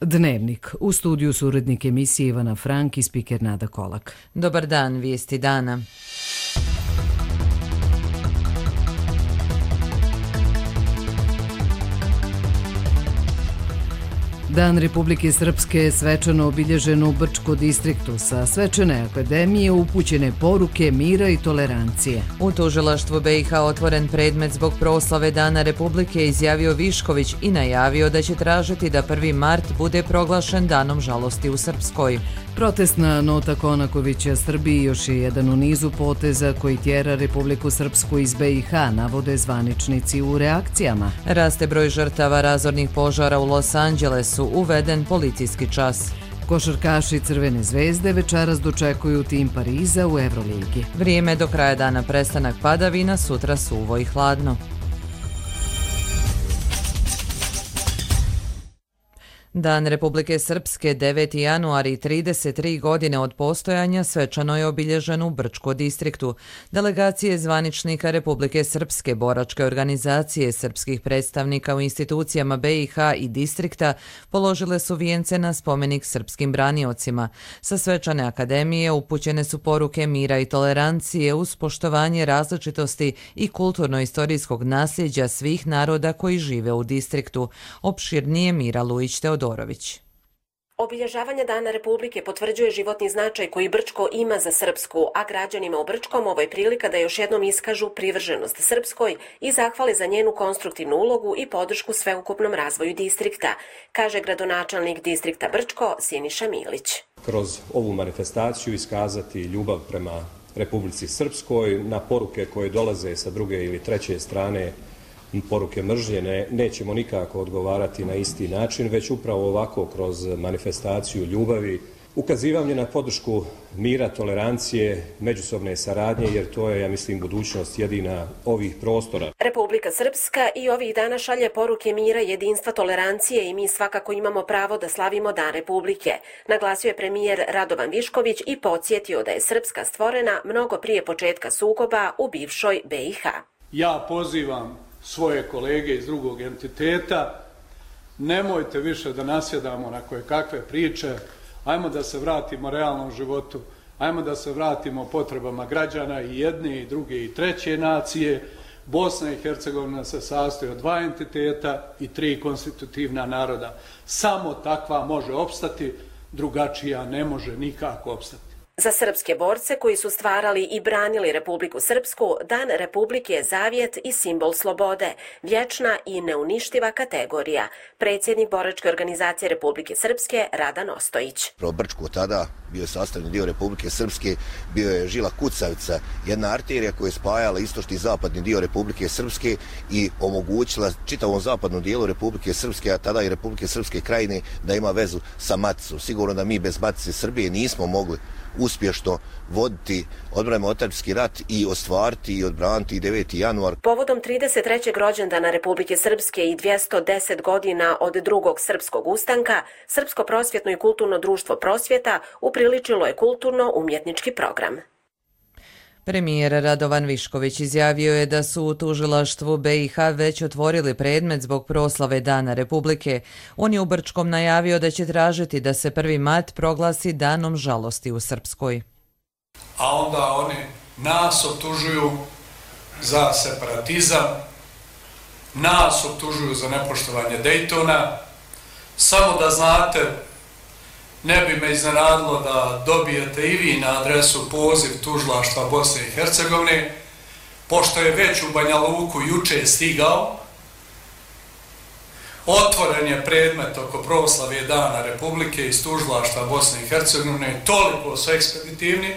Dnevnik. U studiju su urednik emisije Ivana Frank i spiker Nada Kolak. Dobar dan, vijesti dana. Dan Republike Srpske je svečano obilježen u Brčko distriktu. Sa svečane akademije upućene poruke mira i tolerancije. U tužilaštvu BiH otvoren predmet zbog proslave Dana Republike, izjavio Višković i najavio da će tražiti da 1. mart bude proglašen danom žalosti u Srpskoj. Protestna nota Konakovića Srbiji još je jedan u nizu poteza koji tjera Republiku Srpsku iz BiH, navode zvaničnici u reakcijama. Raste broj žrtava razornih požara u Los Angelesu, uveden policijski čas. Košarkaši Crvene zvezde večeras dočekuju tim Pariza u Euroligi. Vrijeme do kraja dana, prestanak padavina, sutra suvo i hladno. Dan Republike Srpske, 9. januar i 33 godine od postojanja, svečano je obilježen u Brčko distriktu. Delegacije zvaničnika Republike Srpske, boračke organizacije, srpskih predstavnika u institucijama BiH i distrikta položile su vijence na spomenik srpskim braniocima. Sa svečane akademije upućene su poruke mira i tolerancije uz poštovanje različitosti i kulturno-istorijskog nasljeđa svih naroda koji žive u distriktu. Opširnije Mira Lujić-Teodorović. Obilježavanje Dana Republike potvrđuje životni značaj koji Brčko ima za Srpsku, a građanima u Brčkom ovo je prilika da još jednom iskažu privrženost Srpskoj i zahvale za njenu konstruktivnu ulogu i podršku sveukupnom razvoju distrikta, kaže gradonačelnik distrikta Brčko Siniša Milić. Kroz ovu manifestaciju iskazati ljubav prema Republici Srpskoj, na poruke koje dolaze sa druge ili treće strane, poruke mržnje, nećemo nikako odgovarati na isti način, već upravo ovako kroz manifestaciju ljubavi, ukazivanje na podršku mira, tolerancije, međusobne saradnje, jer to je, ja mislim, budućnost jedina ovih prostora. Republika Srpska i ovih dana šalje poruke mira, jedinstva, tolerancije i mi svakako imamo pravo da slavimo Dan Republike, naglasio je premijer Radovan Višković i podsjetio da je Srpska stvorena mnogo prije početka sukoba u bivšoj BiH. Ja pozivam svoje kolege iz drugog entiteta, nemojte više da nasjedamo na koje kakve priče, ajmo da se vratimo realnom životu, ajmo da se vratimo potrebama građana i jedne i druge i treće nacije. Bosna i Hercegovina se sastoji od 2 entiteta i 3 konstitutivna naroda. Samo takva može opstati, drugačija ne može nikako opstati. Za srpske borce koji su stvarali i branili Republiku Srpsku, Dan Republike je zavjet i simbol slobode, vječna i neuništiva kategorija. Predsjednik boračke organizacije Republike Srpske Radan Ostojić. Brčko tada bio je sastavni dio Republike Srpske, bio je žila kucavica, jedna arterija koja je spajala istočni i zapadni dio Republike Srpske i omogućila čitavom zapadnom dijelu Republike Srpske, a tada i Republike Srpske krajine, da ima vezu sa maticom. Sigurno da mi bez matice Srbije nismo mogli uspješno voditi odbranu otadžbinski rat i ostvariti i odbraniti 9. januar. Povodom 33. rođendana Republike Srpske i 210 godina od drugog srpskog ustanka, Srpsko prosvjetno i kulturno društvo Prosvjeta upriličilo je kulturno-umjetnički program. Premijer Radovan Višković izjavio je da su u tužilaštvu BiH već otvorili predmet zbog proslave Dana Republike. On je u Brčkom najavio da će tražiti da se 1. mart proglasi danom žalosti u Srpskoj. A onda oni nas optužuju za separatizam, nas optužuju za nepoštovanje Dejtona. Samo da znate, ne bi me iznenadilo da dobijete i vi na adresu poziv tužilaštva Bosne i Hercegovine, pošto je već u Banja Luku juče stigao. Otvoren je predmet oko proslave Dana Republike iz tužilaštva Bosne i Hercegovine, toliko su ekspeditivni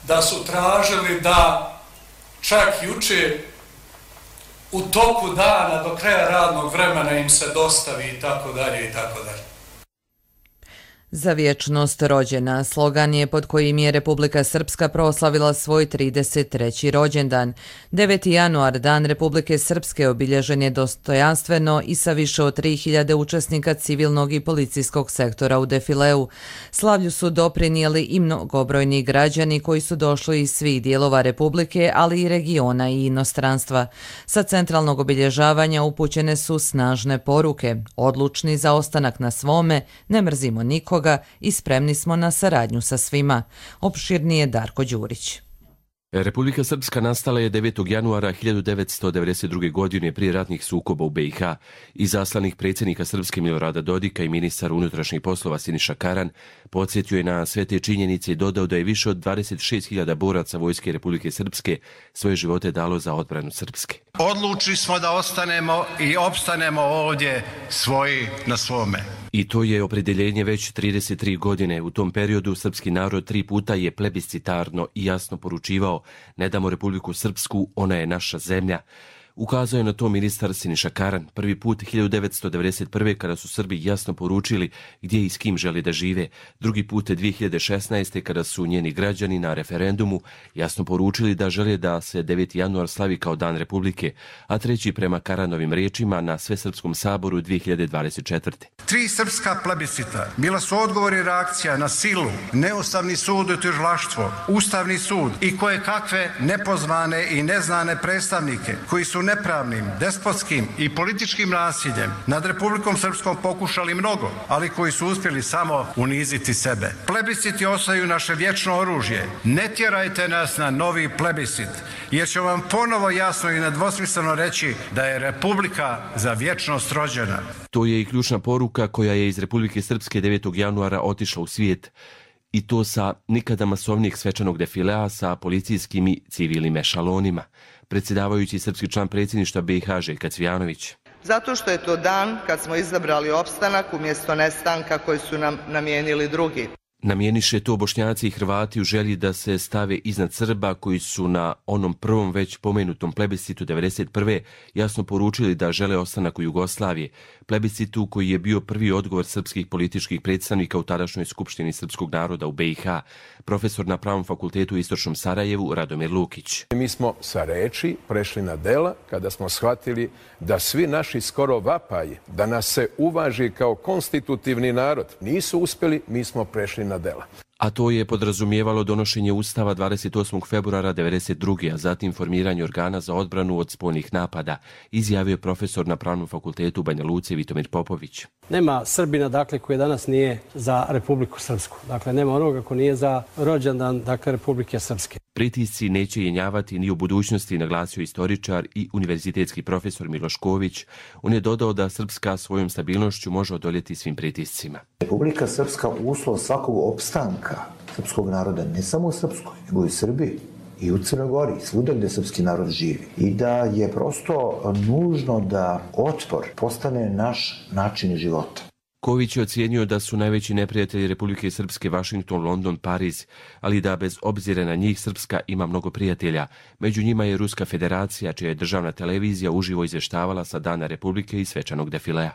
da su tražili da čak juče u toku dana do kraja radnog vremena im se dostavi i tako dalje i tako dalje. Za vječnost rođena slogan je pod kojim je Republika Srpska proslavila svoj 33. rođendan. 9. januar, Dan Republike Srpske, obilježen je dostojanstveno i sa više od 3000 učesnika civilnog i policijskog sektora u defileu. Slavlju su doprinijeli i mnogobrojni građani koji su došli iz svih dijelova Republike, ali i regiona i inostranstva. Sa centralnog obilježavanja upućene su snažne poruke. Odlučni za ostanak na svome, ne mrzimo nikoga i spremni smo na saradnju sa svima. Opširnije Darko Đurić. Republika Srpska nastala je 9. januara 1992. godine prije ratnih sukoba u BiH. Izaslanik predsjednika Srpske Milorada Dodika i ministar unutrašnjih poslova Siniša Karan podsjetio je na sve te činjenice i dodao da je više od 26.000 boraca Vojske Republike Srpske svoje živote dalo za odbranu Srpske. Odlučili smo da ostanemo i opstanemo ovdje svoji na svome. I to je opredjeljenje već 33 godine. U tom periodu srpski narod 3 puta je plebiscitarno i jasno poručivao: ne damo Republiku Srpsku, ona je naša zemlja. Ukazao je na to ministar Siniša Karan. Prvi put 1991. kada su Srbi jasno poručili gdje i s kim žele da žive. Drugi put 2016. kada su njeni građani na referendumu jasno poručili da žele da se 9. januar slavi kao Dan Republike, a treći prema Karanovim riječima na Svesrpskom saboru 2024. 3 srpska plebiscita bila su odgovor i reakcija na silu, neustavni sud i tužilaštvo, ustavni sud i koje kakve nepozvane i neznane predstavnike koji su nepravnim, despotskim i političkim nasiljem nad Republikom Srpskom pokušali mnogo, ali koji su uspjeli samo uniziti sebe. Plebisciti ostaju naše vječno oružje. Ne tjerajte nas na novi plebiscit, jer ću vam ponovo jasno i nedvosmisleno reći da je Republika za vječnost rođena. To je i ključna poruka koja je iz Republike Srpske 9. januara otišla u svijet. I to sa nikada masovnijeg svečanog defilea sa policijskim i civilnim ešalonima. Predsjedavajući srpski član predsjedništva BiH Željka Cvijanović. Zato što je to dan kad smo izabrali opstanak umjesto nestanka koji su nam namijenili drugi. Namijeniše to Bošnjaci i Hrvati u želji da se stave iznad Srba koji su na onom prvom već pomenutom plebiscitu 1991. jasno poručili da žele ostanak u Jugoslaviji. Plebiscitu koji je bio prvi odgovor srpskih političkih predstavnika u tadašnjoj Skupštini srpskog naroda u BiH. Profesor na Pravnom fakultetu u Istočnom Sarajevu Radomir Lukić. Mi smo sa reči prešli na dela kada smo shvatili da svi naši skoro vapaji da nas se uvaži kao konstitutivni narod nisu uspjeli, mi smo prešli na dela. A to je podrazumijevalo donošenje Ustava 28. februara 1992. a zatim formiranje organa za odbranu od spoljnih napada, izjavio profesor na Pravnom fakultetu u Banja Luci Vitomir Popović. Nema Srbina, dakle, koji danas nije za Republiku Srpsku. Dakle, nema onoga ko nije za rođendan, dakle, Republike Srpske. Pritisci neće jenjavati ni u budućnosti, naglasio istoričar i univerzitetski profesor Miloš Ković. On je dodao da Srpska svojom stabilnošću može odoljeti svim pritiscima. Republika Srpska uslov svakog opstanka srpskog naroda, ne samo u Srpskoj, nego i u Srbiji i u Crnoj Gori, svuda gdje srpski narod živi. I da je prosto nužno da otpor postane naš način života. Ković je ocijenio da su najveći neprijatelji Republike Srpske Washington, London, Pariz, ali da bez obzira na njih Srpska ima mnogo prijatelja. Među njima je Ruska federacija, čija je državna televizija uživo izvještavala sa Dana Republike i svečanog defilea.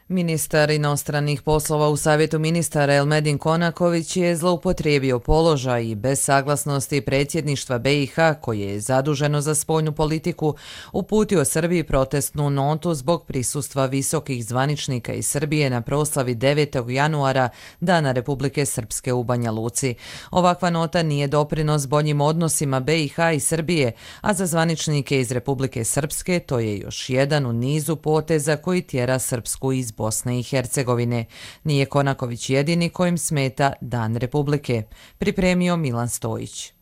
Ministar inostranih poslova u Savjetu ministara Elmedin Konaković je zloupotrijebio položaj i bez saglasnosti predsjedništva BiH, koje je zaduženo za spoljnu politiku, uputio Srbiji protestnu notu zbog prisustva visokih zvaničnika iz Srbije na proslavi 9. januara Dana Republike Srpske u Banja Luci. Ovakva nota nije doprinos boljim odnosima BiH i Srbije, a za zvaničnike iz Republike Srpske to je još jedan u nizu poteza koji tjera Srpsku iz Bosne i Hercegovine. Nije Konaković jedini kojim smeta Dan Republike. Pripremio Milan Stojić.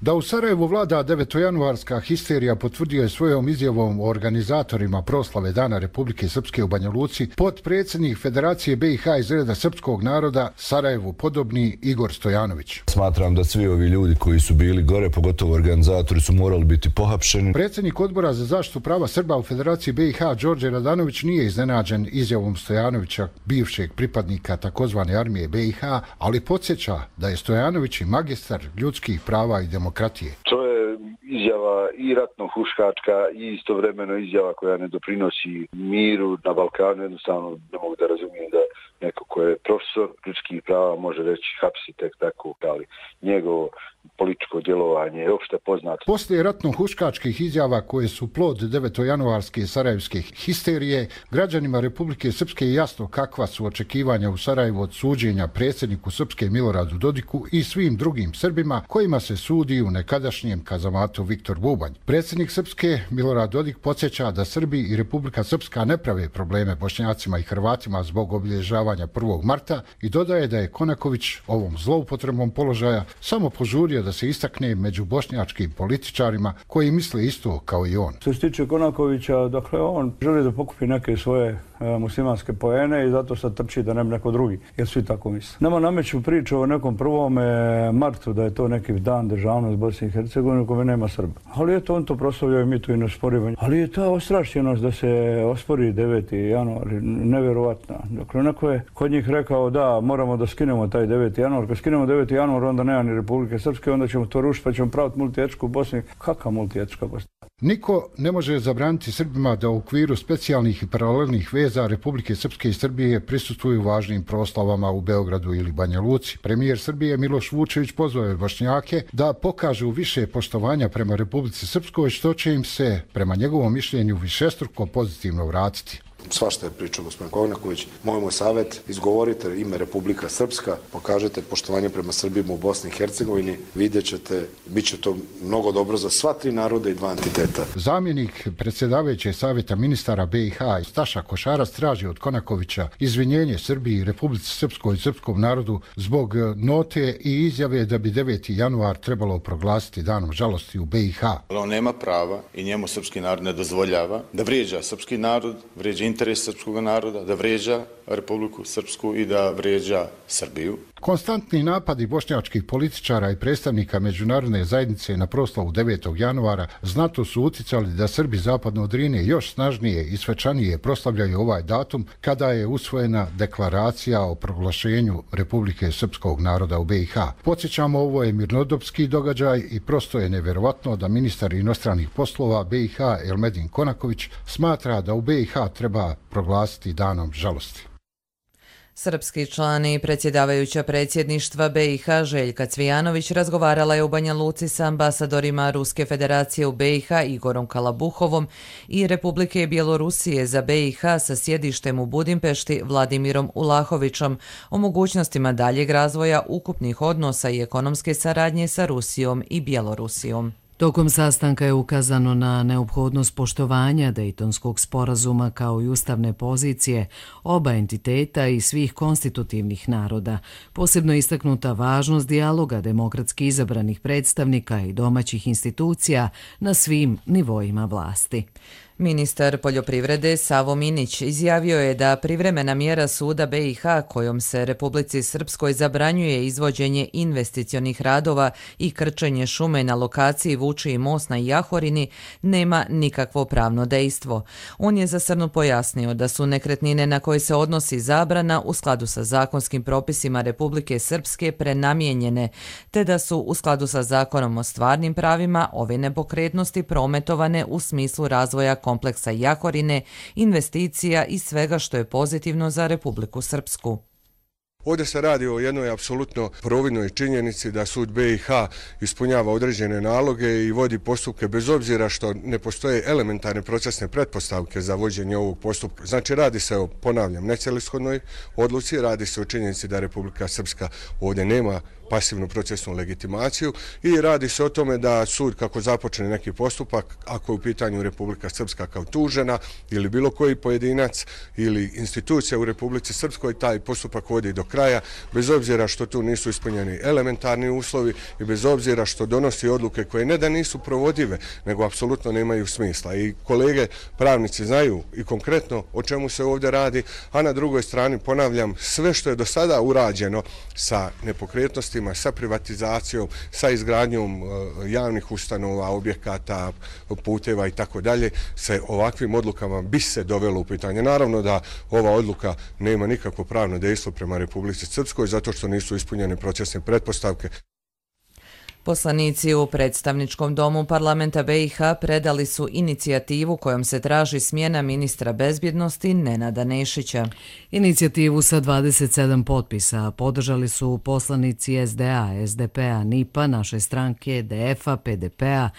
Da u Sarajevu vlada 9. histerija potvrdio je svojom izjavom o organizatorima proslave Dana Republike Srpske u Banja Luci potpredsjednik Federacije BiH iz reda srpskog naroda Sarajevu podobni Igor Stojanović. Smatram da svi ovi ljudi koji su bili gore, pogotovo organizatori, su morali biti pohapšeni. Predsjednik odbora za zaštitu prava Srba u Federaciji BiH Đorđe Radanović nije iznenađen izjavom Stojanovića, bivšeg pripadnika takozvane armije BiH, ali podsjeća da je Stojanović i magistar ljudskih prava i demokratije. To je izjava i ratno-huškačka i istovremeno izjava koja ne doprinosi miru na Balkanu. Jednostavno ne mogu da razumijem da neko ko je profesor ljudskih prava može reći hapsi tek tako, ali njegovo političko djelovanje je opšte poznato. Poslije ratno-huškačkih izjava koje su plod 9. sarajevske histerije, građanima Republike Srpske je jasno kakva su očekivanja u Sarajevu od suđenja predsjedniku Srpske Miloradu Dodiku i svim drugim Srbima kojima se sudi u nekadašnjem kazamatu Viktor Bubanj. Predsjednik Srpske Milorad Dodik podsjeća da Srbi i Republika Srpska ne prave probleme Bošnjacima i Hrvatima zbog obilježavanja 1. marta i dodaje da je Konaković ovom zloupotrebom položaja samo požurio da se istakne među bošnjačkim političarima koji misle isto kao i on. Što se tiče Konakovića, dakle on želi da pokupi neke svoje muslimanske poene i zato sad trči da ne bi neko drugi, jer svi tako misle. Nama nameću priču o nekom 1. martu da je to neki dan državnost Bosne i Hercegovine u kome nema Srba. Ali eto on to proslavljao i mi tu i ne sporimo. Ali je ta ostrašćenost da se ospori 9. januar nevjerovatna. Dakle, neko je kod njih rekao da moramo da skinemo taj 9. januar. Kad skinemo 9. januar onda nema ni Republike Srpske, onda ćemo to rušiti pa ćemo praviti multietničku Bosnu. Kakva multietnička Bosna? Niko ne može zabraniti Srbima da u okviru specijalnih i paralelnih veza Republike Srpske i Srbije prisustvuju važnim proslavama u Beogradu ili Banja Luci. Premijer Srbije Miloš Vučević pozvao je Bošnjake da pokažu više poštovanja prema Republici Srpskoj, što će im se, prema njegovom mišljenju, višestruko pozitivno vratiti. Svašta je pričao gospodin Konaković. Moj savjet, izgovorite ime Republika Srpska, pokažete poštovanje prema Srbima u Bosni i Hercegovini, vidjet ćete, bit će to mnogo dobro za sva 3 naroda i 2 entiteta. Zamjenik predsjedavajućeg savjeta ministara BiH Staša Košarac traži od Konakovića izvinjenje Srbiji i Republici Srpskoj i srpskom narodu zbog note i izjave da bi 9. januar trebalo proglasiti danom žalosti u BiH. On nema prava i njemu srpski narod ne dozvoljava da vrijeđa srpski narod, vrijeđa interes srpskog naroda, da vrijeđa Republiku Srpsku i da vrijeđa Srbiju. Konstantni napadi bošnjačkih političara i predstavnika međunarodne zajednice na proslavu 9. januara znatno su uticali da Srbi zapadno od Drine još snažnije i svečanije proslavljaju ovaj datum kada je usvojena deklaracija o proglašenju Republike Srpskog naroda u BiH. Podsjećamo, ovo je mirnodopski događaj i prosto je nevjerovatno da ministar inostranih poslova BiH Elmedin Konaković smatra da u BiH treba proglasiti danom žalosti. Srpski član i predsjedavajuća predsjedništva BiH Željka Cvijanović razgovarala je u Banja Luci sa ambasadorima Ruske federacije u BiH Igorom Kalabuhovom i Republike Bjelorusije za BiH sa sjedištem u Budimpešti Vladimirom Ulahovićom o mogućnostima daljeg razvoja ukupnih odnosa i ekonomske saradnje sa Rusijom i Bjelorusijom. Tokom sastanka je ukazano na neophodnost poštovanja Dejtonskog sporazuma kao i ustavne pozicije oba entiteta i svih konstitutivnih naroda. Posebno istaknuta važnost dijaloga demokratski izabranih predstavnika i domaćih institucija na svim nivoima vlasti. Ministar poljoprivrede Savo Minić izjavio je da privremena mjera suda BiH kojom se Republici Srpskoj zabranjuje izvođenje investicionih radova i krčenje šume na lokaciji Vučiji most na Jahorini nema nikakvo pravno dejstvo. On je za Srnu pojasnio da su nekretnine na koje se odnosi zabrana u skladu sa zakonskim propisima Republike Srpske prenamijenjene, te da su u skladu sa zakonom o stvarnim pravima ove nepokretnosti prometovane u smislu razvoja kompleksa Jahorine, investicija i svega što je pozitivno za Republiku Srpsku. Ovdje se radi o jednoj apsolutno providnoj činjenici da sud BiH ispunjava određene naloge i vodi postupke bez obzira što ne postoje elementarne procesne pretpostavke za vođenje ovog postupka. Znači radi se o, ponavljam, necelishodnoj odluci, radi se o činjenici da Republika Srpska ovdje nema pasivnu procesnu legitimaciju i radi se o tome da sud kako započne neki postupak, ako je u pitanju Republika Srpska kao tužena ili bilo koji pojedinac ili institucija u Republici Srpskoj, taj postupak vodi do kraja, bez obzira što tu nisu ispunjeni elementarni uslovi i bez obzira što donosi odluke koje ne da nisu provodive, nego apsolutno nemaju smisla. I kolege pravnici znaju i konkretno o čemu se ovdje radi, a na drugoj strani, ponavljam, sve što je do sada urađeno sa nepokretnostima, sa privatizacijom, sa izgradnjom javnih ustanova, objekata, puteva i tako dalje, se ovakvim odlukama bi se dovelo u pitanje. Naravno da ova odluka nema nikakvo pravno dejstvo prema Republici Srpskoj zato što nisu ispunjene procesne pretpostavke. Poslanici u predstavničkom domu parlamenta BiH predali su inicijativu kojom se traži smjena ministra bezbjednosti Nenada Nešića. Inicijativu sa 27 potpisa podržali su poslanici SDA, SDP-a, NIP-a, naše stranke, DF-a, PDP-a,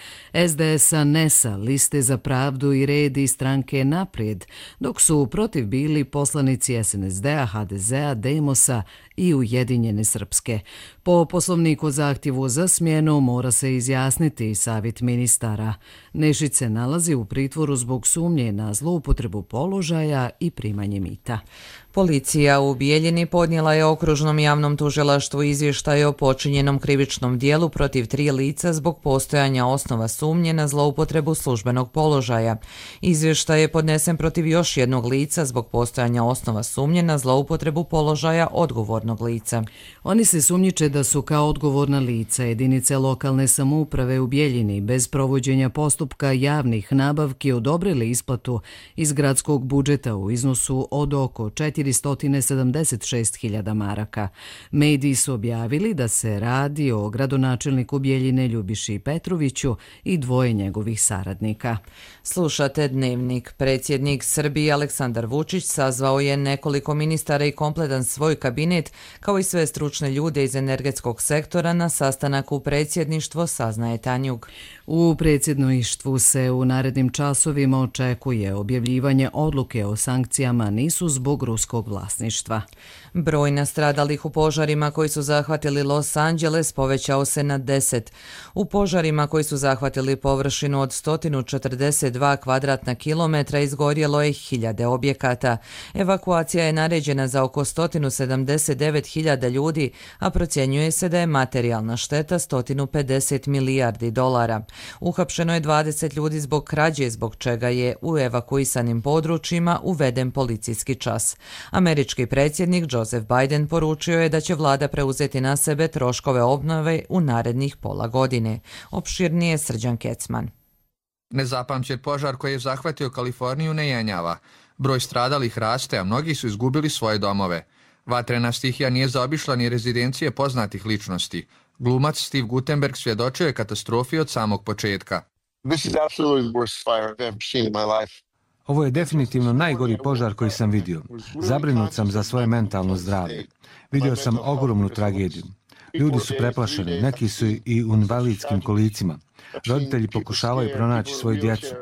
SDS-a, NES-a, Liste za pravdu i red i stranke Naprijed, dok su protiv bili poslanici SNSD-a, HDZ-a, Demos-a i Ujedinjene Srpske. Po poslovniku zahtjevu za smjenu mora se izjasniti savjet ministara. Nešić se nalazi u pritvoru zbog sumnje na zloupotrebu položaja i primanje mita. Policija u Bijeljini podnijela je okružnom javnom tužilaštvu izvještaj o počinjenom krivičnom dijelu protiv 3 lica zbog postojanja osnova sumnje na zloupotrebu službenog položaja. Izvještaj je podnesen protiv još jednog lica zbog postojanja osnova sumnje na zloupotrebu položaja odgovornog lica. Oni se sumnjiče da su kao odgovorna lica jedinice lokalne samouprave u Bijeljini bez provođenja postupka javnih nabavki odobrili isplatu iz gradskog budžeta u iznosu od oko 476.000 maraka. Mediji su objavili da se radi o gradonačelniku Bijeljine Ljubiši Petroviću i 2 njegovih saradnika. Slušate Dnevnik. Predsjednik Srbije Aleksandar Vučić sazvao je nekoliko ministara i kompletan svoj kabinet, kao i sve stručne ljude iz energetskog sektora na sastanak u predsjedništvo, saznaje Tanjug. U predsjedništvu se u narednim časovima očekuje objavljivanje odluke o sankcijama nisu zbog ruskog vlasništva. Broj nastradalih u požarima koji su zahvatili Los Angeles povećao se na 10. U požarima koji su zahvatili površinu od 142 kvadratna kilometra izgorjelo je 1000 objekata. Evakuacija je naređena za oko 179.000 ljudi, a procjenjuje se da je materijalna šteta 150 milijardi dolara. Uhapšeno je 20 ljudi zbog krađe, zbog čega je u evakuisanim područjima uveden policijski čas. Američki predsjednik Joseph Biden poručio je da će vlada preuzeti na sebe troškove obnove u narednih pola godine. Opširnije Srđan Kecman. Nezapamćen požar koji je zahvatio Kaliforniju ne jenjava. Broj stradalih raste, a mnogi su izgubili svoje domove. Vatrena stihija nije zaobišla ni rezidencije poznatih ličnosti. Glumac Steve Guttenberg svjedočio je katastrofi od samog početka. Ovo je definitivno najgori požar koji sam vidio. Zabrinut sam za svoje mentalno zdravlje. Vidio sam ogromnu tragediju. Ljudi su preplašeni, neki su i u invalidskim kolicima. Roditelji pokušavaju pronaći svoju djecu.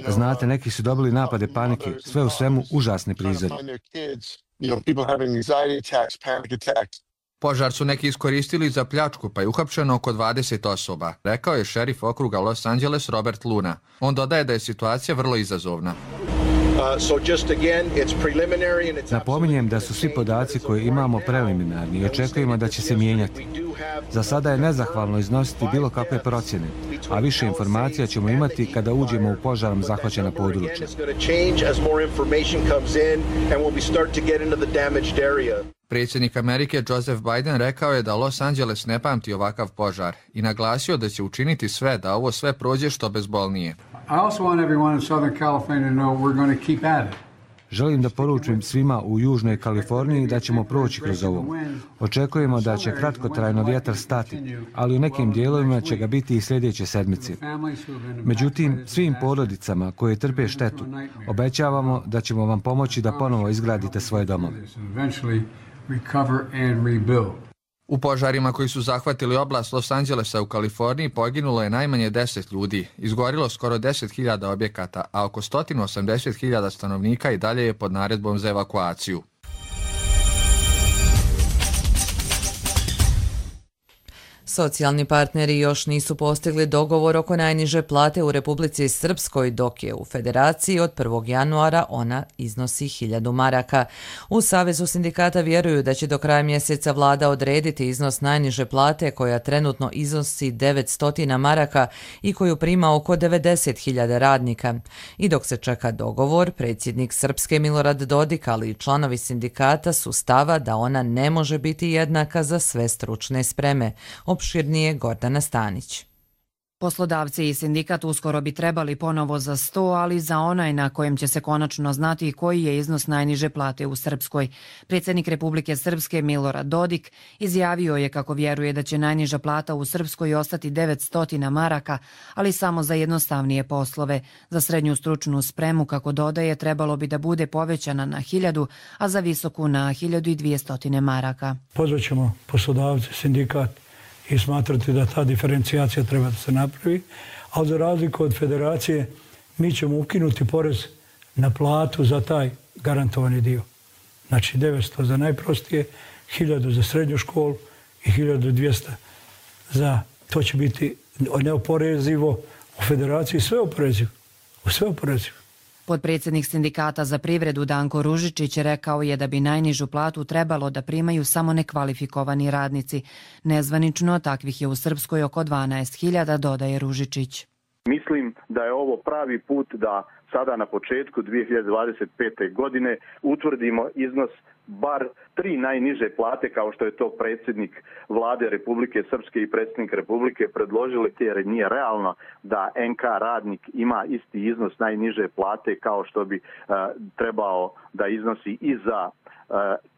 Znate, neki su dobili napade panike, sve u svemu užasni prizori. Požar su neki iskoristili za pljačku, pa je uhapšeno oko 20 osoba, rekao je šerif okruga Los Angeles Robert Luna. On dodaje da je situacija vrlo izazovna. Napominjem da su svi podaci koje imamo preliminarni i očekujemo da će se mijenjati. Za sada je nezahvalno iznositi bilo kakve procjene, a više informacija ćemo imati kada uđemo u požarom zahvaćena područja. Predsjednik Amerike Joseph Biden rekao je da Los Angeles ne pamti ovakav požar i naglasio da će učiniti sve da ovo sve prođe što bezbolnije. Želim da poručim svima u Južnoj Kaliforniji da ćemo proći kroz ovo. Očekujemo da će kratkotrajno vjetar stati, ali u nekim dijelovima će ga biti i sljedeće sedmice. Međutim, svim porodicama koje trpe štetu, obećavamo da ćemo vam pomoći da ponovo izgradite svoje domove. U požarima koji su zahvatili oblast Los Angelesa u Kaliforniji poginulo je najmanje 10 ljudi, izgorilo skoro 10.000 objekata, a oko 180.000 stanovnika i dalje je pod naredbom za evakuaciju. Socijalni partneri još nisu postigli dogovor oko najniže plate u Republici Srpskoj, dok je u Federaciji od 1. januara ona iznosi 1000 maraka. U Savezu sindikata vjeruju da će do kraja mjeseca vlada odrediti iznos najniže plate koja trenutno iznosi 900 maraka i koju prima oko 90.000 radnika. I dok se čeka dogovor, predsjednik Srpske Milorad Dodik, ali i članovi sindikata su stava da ona ne može biti jednaka za sve stručne spreme. Opširnije Gordana Stanić. Poslodavci i sindikat uskoro bi trebali ponovo za sto, ali za onaj na kojem će se konačno znati koji je iznos najniže plate u Srpskoj. Predsjednik Republike Srpske Milorad Dodik izjavio je kako vjeruje da će najniža plata u Srpskoj ostati 900 maraka, ali samo za jednostavnije poslove. Za srednju stručnu spremu, kako dodaje, trebalo bi da bude povećana na 1000, a za visoku na 1200 maraka. Pozvaćemo poslodavce, sindikat i smatrati da ta diferencijacija treba da se napravi, ali za razliku od federacije mi ćemo ukinuti porez na platu za taj garantovani dio. Znači 900 za najprostije, 1000 za srednju školu i 1200 za, to će biti neoporezivo u federaciji, sve oporezivo. Potpredsjednik sindikata za privredu Danko Ružičić rekao je da bi najnižu platu trebalo da primaju samo nekvalifikovani radnici. Nezvanično takvih je u Srpskoj oko 12.000, dodaje Ružičić. Mislim da je ovo pravi put da sada na početku 2025. godine utvrdimo iznos bar 3 najniže plate, kao što je to predsjednik vlade Republike Srpske i predsjednik Republike predložili, jer nije realno da NK radnik ima isti iznos najniže plate kao što bi trebao da iznosi i za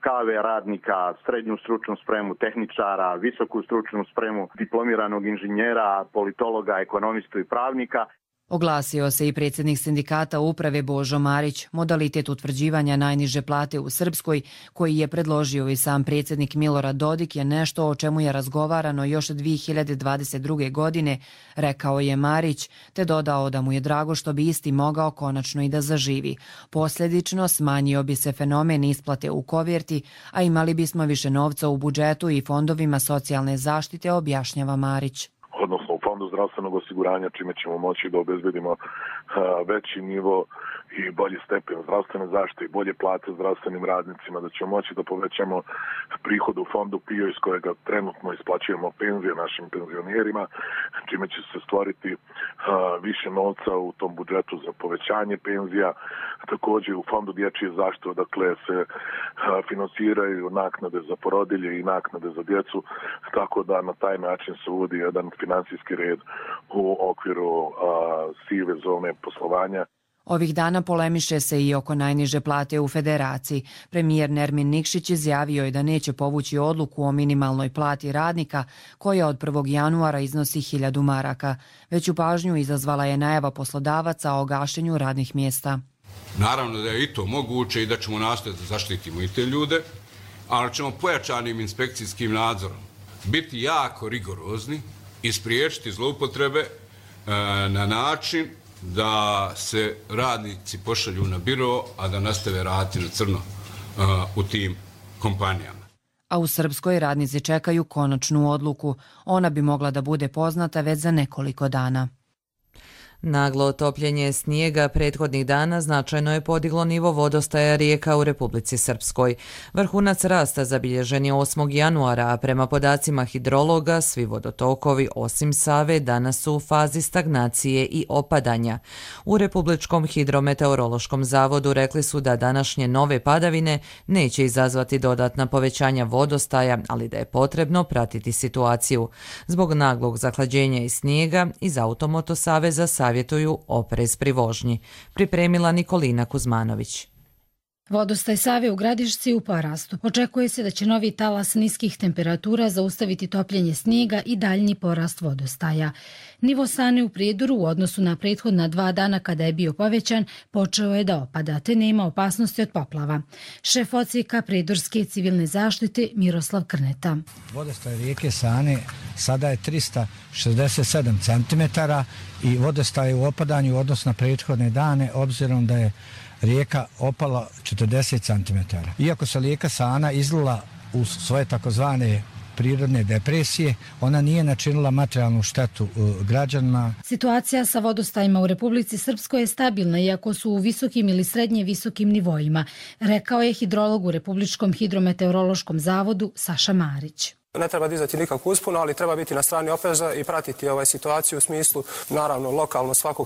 KV radnika, srednju stručnu spremu, tehničara, visoku stručnu spremu, diplomiranog inženjera, politologa, ekonomistu i pravnika. Oglasio se i predsjednik sindikata uprave Božo Marić. Modalitet utvrđivanja najniže plate u Srpskoj, koji je predložio i sam predsjednik Milorad Dodik, je nešto o čemu je razgovarano još 2022. godine, rekao je Marić, te dodao da mu je drago što bi isti mogao konačno i da zaživi. Posljedično smanjio bi se fenomen isplate u koverti, a imali bismo više novca u budžetu i fondovima socijalne zaštite, objašnjava Marić. Odnosno u fondu zdravstvenog osiguranja, čime ćemo moći da obezbedimo veći nivo i bolji stepen zdravstvene zaštite i bolje plate zdravstvenim radnicima, da ćemo moći da povećamo prihod u fondu PIO iz kojega trenutno isplaćujemo penzije našim penzionerima, čime će se stvoriti više novca u tom budžetu za povećanje penzija. Također u fondu dječje zaštite, dakle se finansiraju naknade za porodilje i naknade za djecu, tako da na taj način se uvodi jedan finansijski red u okviru sive zone poslovanja. Ovih dana polemiše se i oko najniže plate u federaciji. Premijer Nermin Nikšić izjavio je da neće povući odluku o minimalnoj plati radnika, koja od 1. januara iznosi 1000 maraka. Veću pažnju izazvala je najava poslodavaca o gašenju radnih mjesta. Naravno da je i to moguće i da ćemo nastojati da zaštitimo i te ljude, ali ćemo pojačanim inspekcijskim nadzorom biti jako rigorozni i spriječiti zloupotrebe na način da se radnici pošalju na biro, a da nastave raditi na crno u tim kompanijama. A u Srpskoj radnici čekaju konačnu odluku. Ona bi mogla da bude poznata već za nekoliko dana. Naglo topljenje snijega prethodnih dana značajno je podiglo nivo vodostaja rijeka u Republici Srpskoj. Vrhunac rasta zabilježen je 8. januara, a prema podacima hidrologa svi vodotokovi osim Save danas su u fazi stagnacije i opadanja. U Republičkom hidrometeorološkom zavodu rekli su da današnje nove padavine neće izazvati dodatna povećanja vodostaja, ali da je potrebno pratiti situaciju. Zbog naglog zahlađenja i snijega iz Automoto saveza savjetuju oprez pri vožnji. Pripremila Nikolina Kuzmanović. Vodostaj Save u Gradišci u porastu. Očekuje se da će novi talas niskih temperatura zaustaviti topljenje snijega i daljnji porast vodostaja. Nivo Sane u Prijedoru u odnosu na prethodna 2 dana kada je bio povećan, počeo je da opada, te nema opasnosti od poplava. Šef odsjeka Prijedorske civilne zaštite Miroslav Krneta. Vodostaj rijeke Sane sada je 367 cm i vodostaj je u opadanju u odnosu na prethodne dane, obzirom da je rijeka opala 40 cm. Iako se rijeka Sana izlila u svoje takozvane prirodne depresije, ona nije načinila materijalnu štetu građanima. Situacija sa vodostajima u Republici Srpskoj je stabilna, iako su u visokim ili srednje visokim nivoima, rekao je hidrolog u Republičkom hidrometeorološkom zavodu Saša Marić. Ne treba dizati nikakvu usponu, ali treba biti na strani opreza i pratiti situaciju u smislu, naravno, lokalno svako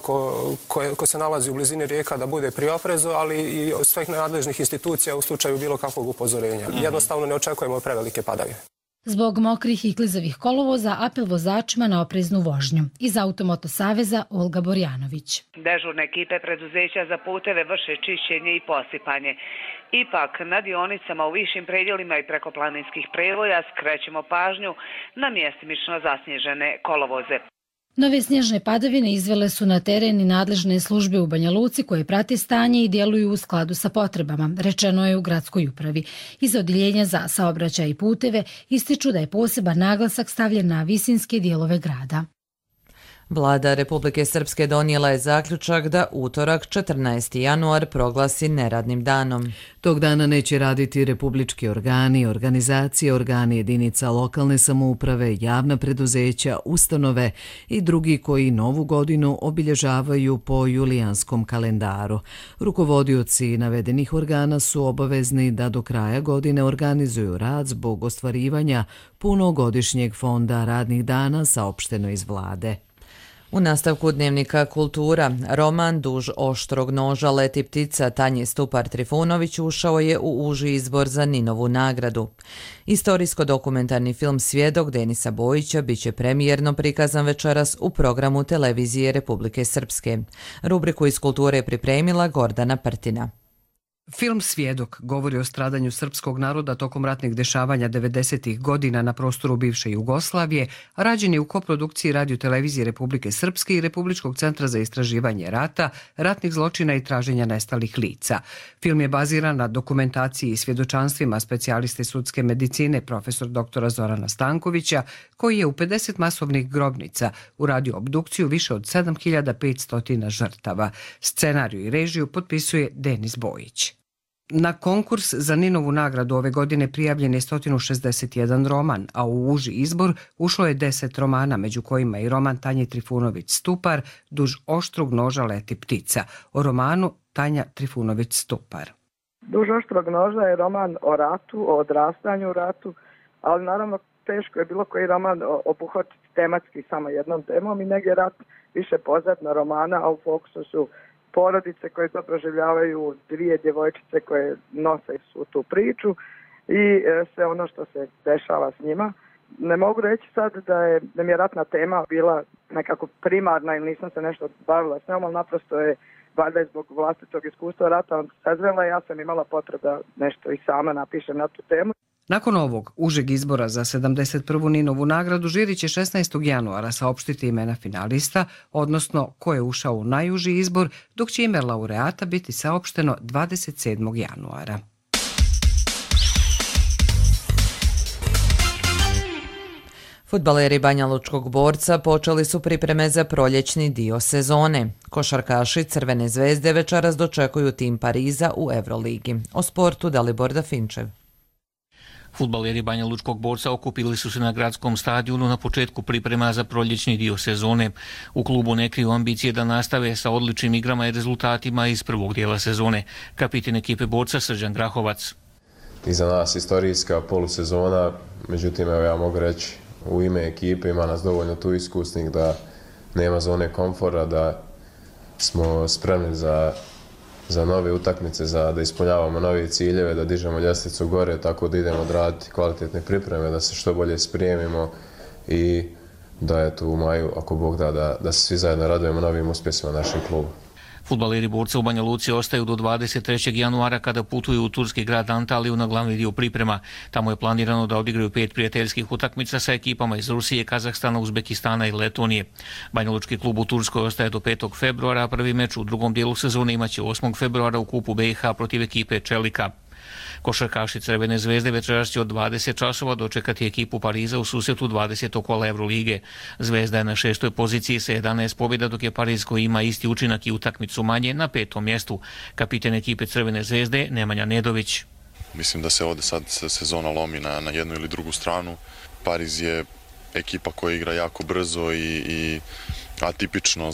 ko se nalazi u blizini rijeka da bude pri oprezu, ali i od svih nadležnih institucija u slučaju bilo kakvog upozorenja. Jednostavno ne očekujemo prevelike padavine. Zbog mokrih i klizavih kolovoza apel vozačima na opreznu vožnju. Iz Automoto saveza Olga Borjanović. Dežurne ekipe preduzeća za puteve vrše čišćenje i posipanje. Ipak, na dionicama u višim predjelima i prekoplaninskih prevoja skrećemo pažnju na mjestimično zasnježene kolovoze. Nove snježne padavine izvele su na teren i nadležne službe u Banja Luci koje prate stanje i djeluju u skladu sa potrebama, rečeno je u gradskoj upravi. Iz odjeljenja za saobraćaj i puteve ističu da je poseban naglasak stavljen na visinske dijelove grada. Vlada Republike Srpske donijela je zaključak da utorak 14. januar proglasi neradnim danom. Tog dana neće raditi republički organi, organizacije, organi jedinica lokalne samouprave, javna preduzeća, ustanove i drugi koji novu godinu obilježavaju po julijanskom kalendaru. Rukovodioci navedenih organa su obavezni da do kraja godine organizuju rad zbog ostvarivanja punogodišnjeg fonda radnih dana, saopšteno iz vlade. U nastavku dnevnika Kultura, roman Duž oštrog noža leti ptica Tanje Stupar-Trifunović ušao je u uži izbor za Ninovu nagradu. Istorijsko-dokumentarni film Svjedok Denisa Bojića biće premijerno prikazan večeras u programu Televizije Republike Srpske. Rubriku iz kulture je pripremila Gordana Prtina. Film Svjedok govori o stradanju srpskog naroda tokom ratnih dešavanja 90. godina na prostoru bivše Jugoslavije, rađen je u koprodukciji Radio-televizije Republike Srpske i Republičkog centra za istraživanje rata, ratnih zločina i traženja nestalih lica. Film je baziran na dokumentaciji i svjedočanstvima specijaliste sudske medicine profesor dr. Zorana Stankovića, koji je u 50 masovnih grobnica uradio obdukciju više od 7500 žrtava. Scenariju i režiju potpisuje Denis Bojić. Na konkurs za Ninovu nagradu ove godine prijavljen je 161 roman, a u uži izbor ušlo je 10 romana, među kojima i roman Tanje Trifunović Stupar, Duž oštrog noža leti ptica. O romanu Tanja Trifunović Stupar. Duž oštrog noža je roman o ratu, o odrastanju u ratu, ali naravno teško je bilo koji roman obuhvatiti tematski samo jednom temom i negdje rat više pozadna romana, a u fokusu su porodice koje to proživljavaju, dvije djevojčice koje nose svu tu priču i sve ono što se dešava s njima. Ne mogu reći sad da mi je ratna tema bila nekako primarna ili nisam se nešto bavila s njom, ali naprosto je valjda zbog vlastitog iskustva rata sazrela i ja sam imala potrebu da nešto i sama napišem na tu temu. Nakon ovog užeg izbora za 71. Ninovu nagradu žiri će 16. januara saopštiti imena finalista, odnosno ko je ušao u najuži izbor, dok će ime laureata biti saopšteno 27. januara. Fudbaleri Banjalučkog Borca počeli su pripreme za proljećni dio sezone. Košarkaši Crvene zvezde večeras dočekuju tim Pariza u Euroligi. O sportu Dalibor Dafinčev. Fudbaleri Banjalučkog Borca okupili su se na gradskom stadionu na početku priprema za proljećni dio sezone. U klubu ne kriju ambicije da nastave sa odličnim igrama i rezultatima iz prvog dijela sezone. Kapitan ekipe Borca Srđan Grahovac. Iza nas istorijska polusezona, međutim evo ja mogu reći u ime ekipe ima nas dovoljno tu iskusnih da nema zone komfora, da smo spremni za nove utakmice, da ispunjavamo nove ciljeve, da dižemo ljestvicu gore, tako da idemo odraditi kvalitetne pripreme, da se što bolje sprijemimo i da je tu u maju, ako Bog da se svi zajedno radujemo novim uspjesima našem klubu. Fudbaleri Borca u Banja Luci ostaju do 23. januara kada putuju u turski grad Antaliju na glavni dio priprema. Tamo je planirano da odigraju 5 prijateljskih utakmica sa ekipama iz Rusije, Kazahstana, Uzbekistana i Letonije. Banjalučki klub u Turskoj ostaje do 5. februara, a prvi meč u drugom dijelu sezone imaće 8. februara u kupu BiH protiv ekipe Čelika. Košarkaši Crvene zvezde večeras će od 20 časova dočekati ekipu Pariza u susretu 20. kola Evrolige. Zvezda je na 6. poziciji sa 11 pobjeda, dok je Pariz koji ima isti učinak i utakmicu manje na 5. mjestu. Kapitan ekipe Crvene zvezde Nemanja Nedović. Mislim da se ovdje sad sezona lomi na jednu ili drugu stranu. Pariz je ekipa koja igra jako brzo i atipično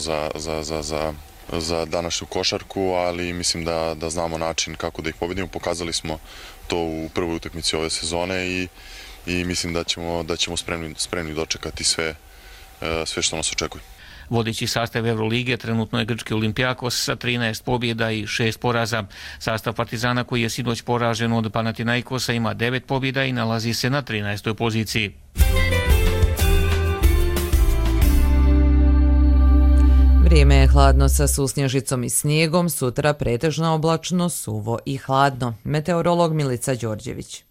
za današnju košarku, ali mislim da znamo način kako da ih pobedimo. Pokazali smo to u prvoj utakmici ove sezone i mislim da ćemo spremni dočekati sve što nas očekuje. Vodeći sastav Eurolige trenutno je grčki Olimpijakos sa 13 pobjeda i 6 poraza. Sastav Partizana koji je sinoć poražen od Panathinaikosa ima 9 pobjeda i nalazi se na 13. poziciji. Vrijeme je hladno sa susnježicom i snijegom, sutra pretežno oblačno, suvo i hladno. Meteorolog Milica Đorđević.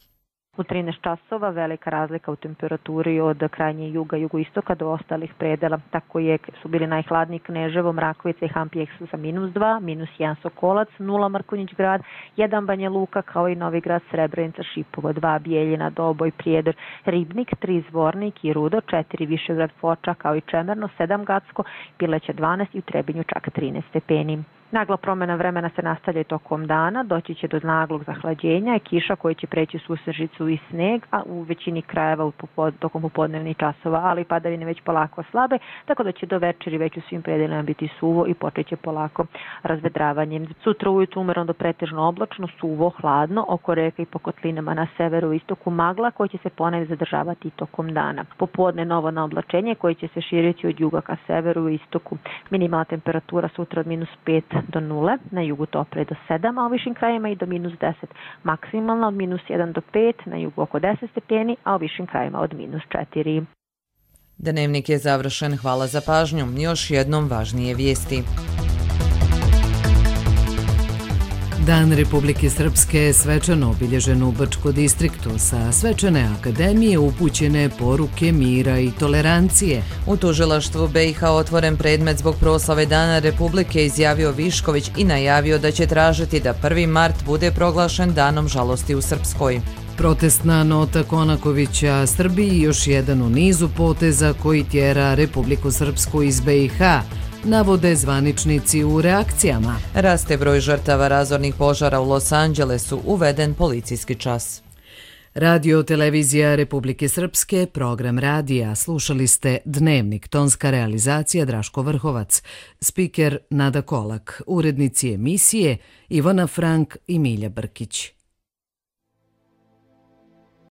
U 13 časova velika razlika u temperaturi od krajnje juga, jugoistoka do ostalih predela. Tako su bili najhladniji Kneževo, Mrakovica i Hampijek sa -2, -1 Sokolac, 0 Mrkonjić grad, 1 Banja Luka kao i Novi Grad, Srebrenica, Šipovo, 2 Bijeljina, Doboj, Prijedor, Ribnik, 3 Zvornik i Rudo, 4 Višegrad, Foča kao i Čemerno, 7 Gacko, Pileća 12 i u Trebinju čak 13 stepeni. Nagla promjena vremena se nastavlja i tokom dana, doći će do naglog zahlađenja i kiša koji će preći susnežicu i sneg, a u većini krajeva tokom popodnevnih časova, ali padavine već polako slabe, tako da će do večeri već u svim predelima biti suvo i počet će polako razvedravanje. Sutra ujutru umjereno do pretežno oblačno, suvo, hladno, oko reka i po kotlinama na severu i istoku magla koji će se ponekad zadržavati i tokom dana. Popodne novo naoblačenje koje će se širiti od juga ka severu i istoku. Minimalna temperatura sutra od -5 do 0, na jugu topre do 7, a u višim krajima i do -10. Maksimalno od -1 do 5, na jugu oko 10 stepeni, a u višim krajima od -4. Dnevnik je završen, hvala za pažnju. Još jednom važnije vijesti. Dan Republike Srpske svečano obilježen u Brčko distriktu, sa svečane akademije upućene poruke mira i tolerancije. U tužilaštvu BiH otvoren predmet zbog proslave Dana Republike, izjavio Višković i najavio da će tražiti da 1. mart bude proglašen danom žalosti u Srpskoj. Protestna nota Konakovića Srbiji još jedan u nizu poteza koji tjera Republiku Srpsku iz BiH, navode zvaničnici u reakcijama. Raste broj žrtava razornih požara u Los Angelesu, uveden policijski čas. Radio televizija Republike Srpske, program radija, slušali ste Dnevnik, tonska realizacija Draško Vrhovac, spiker Nada Kolak, urednici emisije Ivana Frank i Milja Brkić.